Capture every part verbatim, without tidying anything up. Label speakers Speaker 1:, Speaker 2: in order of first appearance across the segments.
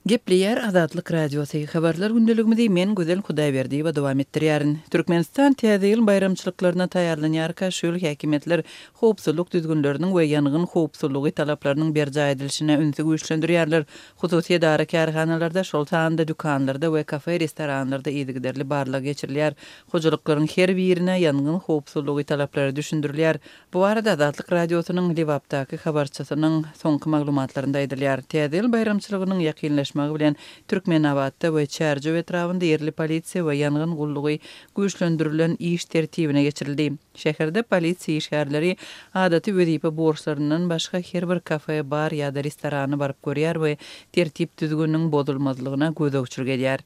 Speaker 1: Gepleýär Azatlyk Radiosy. Habarlar gündeligimizi men Gözel Hudaýberdiýewa dowam etdirýärin. Türkmenistan Täze ýyl baýramçylyklaryna taýýarlanýarka şu ýyl häkimiýetler howpsuzlyk düzgünleriniň we ýangyn howpsuzlygy talaplarynyň berjaý edilişine ünsi güýçlendirýärler. Hususy edara-kärhanalarda, şol sanda dükanlarda we kafe-restoranlarda yzygiderli barlag geçirilýär. Hojalyklaryň her birine ýangyn howpsuzlygy talaplary düşündirilýär. Bu barada Azatlyk Radiosynyň Lebapdaky habarçysynyň soňky maglumatlarynda aýdylýar. Täze ýyl baýramçylygynyň ýakynlaşmagy bilen Türkmenabatda we Çärjew etrabynda ýerli polisiýa we ýangyn gullugy güýçlendirilen iş tertibine geçirildi. Şäherde polisiýa işgärleri adaty wezipe borçlaryndan başga her bir kafe, bar ýa-da restorana baryp görýär we tertip-düzgüniň bozulmazlygyna gözegçilik edýär.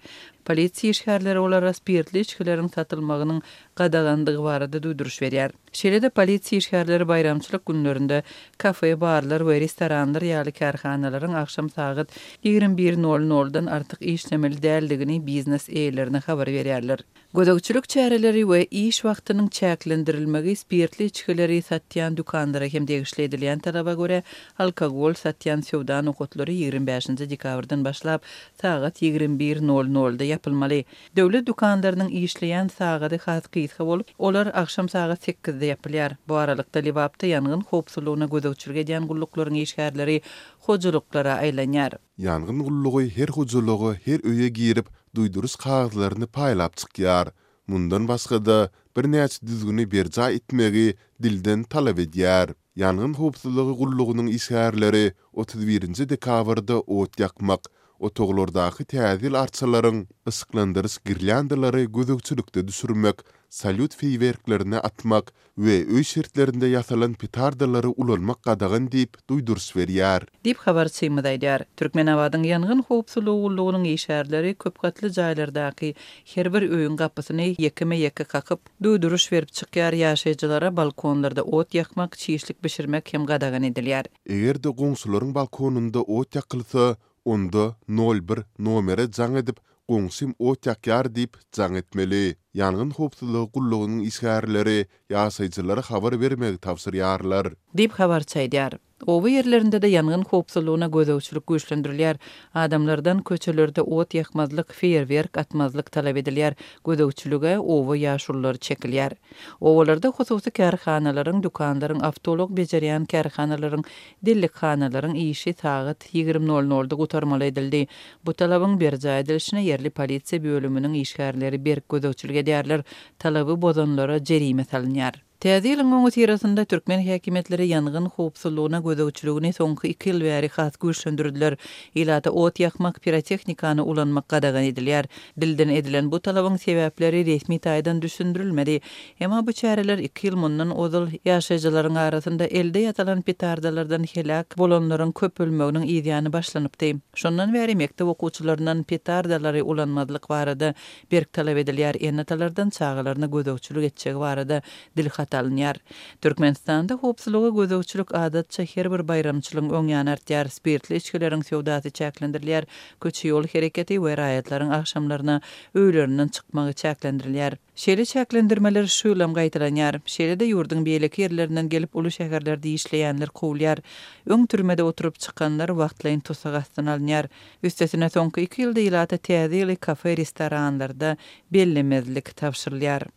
Speaker 1: Polisiýa işgärleri olara spirtli içgileriň satylmagynyň gadagandygy barada duýduryş berýär. Şeýle-de polisiýa işgärleri baýramçylyk günlerinde kafe, barlar we restoranlar ýaly kärhanalaryň agşam sagat ýigrimi bir nol noldan artyk işlemeli däldigini biznes eýelerine habar berýärler. Gözegçilik çäreleri we iş wagtynyň çäklendirilmegi spirtli içgileri satýan dükanlara hem degişli edilýän talaba görä, alkogol satýan söwda nokatlary ýigrimi bäşinji dekabrdan başlap sagat ýigrimi bir nol nolda ýapylmaly. Döwlet dükanlarynyň işleýän sagady has gysga bolup, olar agşam sagat sekizde ýapylýar. Bu aralykda Lebapda ýangyn howpsuzlygyna gözegçilik edýän gulluklaryň işgärleri hojalyklara aýlanýar.
Speaker 2: Ýangyn gullugy her hojalyga, her öýe girip, duýduryş kagyzlaryny paýlap çykýar. Mundan başga-da, birnäçe düzgüni berjaý etmegi dilden talap edýär. Ýangyn howpsuzlygy gullugynyň işgärleri otuz birinji dekabrda ot ýakmak, otaglardaky täze ýyl arçalaryň yşyklandyryş girlyandalary gözegçilikde düşürmek, salýut feýwerklerini atmak we öý şertlerinde ýasalan petardalary ulanmak gadagan diýip duýduryş berýär.
Speaker 1: Diýip habarçymyz aýdýar. Türkmenabadyň ýangyn howpsuzlygy gullugynyň işgärleri köpgatly jaýlardaky her bir öýüň gapysyny ýekeme-ýeke kakyp, duýduryş berip çykýar, ýaşaýjylara balkonlarda ot ýakmak, çişlik bişirmek hem gadagan edilýär.
Speaker 2: Eger-de goňşularyň balkonynda ot ýakylsa, onda nol bir nomere jaň edip, goňşym ot ýakýar diýip jaň etmeli. Ýangyn howpsuzlygy gullugynyň işgärleri ýaşaýjylara habar bermegi tabşyrýarlar.
Speaker 1: Diýip habarçy aýdýar. Oba ýerlerinde-de ýangyn howpsuzlygyna gözegçilik güýçlendirilýär. Adamlardan köçelerde ot ýakmazlyk, feýerwerk atmazlyk talap edilýär. Gözegçilige oba ýaşululary çekilýär. Obalarda hususy kärhanalaryň, dükanlaryň, awtoulag bejerýän kärhanalaryň, dellekhanalaryň işi sagat ýigrimi nol nolda gutarmaly edildi. Bu talabyň berjaý edilişine ýerli polisiýa bölüminiň işgärleri berk gözegçilik edýärler. Talaby bozanlara jerime salynýar. Täze ýylyň öňüsyrasynda türkmen häkimiýetleri ýangyn howpsuzlygyna gözegçiligini soňky iki ýyl bäri has güýçlendirdiler. Ilata ot ýakmak, pirotehnikany ulanmak gadagan edilýär. Dilden edilen bu talabyň sebäpleri resmi taýdan düşündirilmedi. Emma bu çäreler iki ýyl mundan ozal ýaşaýjylaryň arasynda elde ýasalan petardalardan heläk bolanlaryň köpelmeginiň yzýany başlanypdy. Şondan bäri mekdep okuwçylaryndan petardalary ulanmazlyk barada berk talap edilýär. Ene-atalardan çagalaryna gözegçilik etjegi barada dilhat alynýar. Türkmenistanda howpsuzlyga gözegçilik adatça her bir baýramçylygyň öň ýany artýar. Spirtli içgileriň söwdasy çäklendirilýär. Köçe ýol hereketi we raýatlaryň agşamlaryna öýlerinden çykmagy çäklendirilýär. Şeýle çäklendirmeler şu ýylam gaýtalanýar. Şeýle-de ýurduň beýleki ýerlerinden gelip uly şäherlerde işleýänler kowulýar. Öň türmede oturyp çykanlar wagtlaýyn tussag astyna alynýar. Üstesine soňky iki ýylda ilata täze ýyly kafe, restoranlarda bellemezlik tabşyrylýar.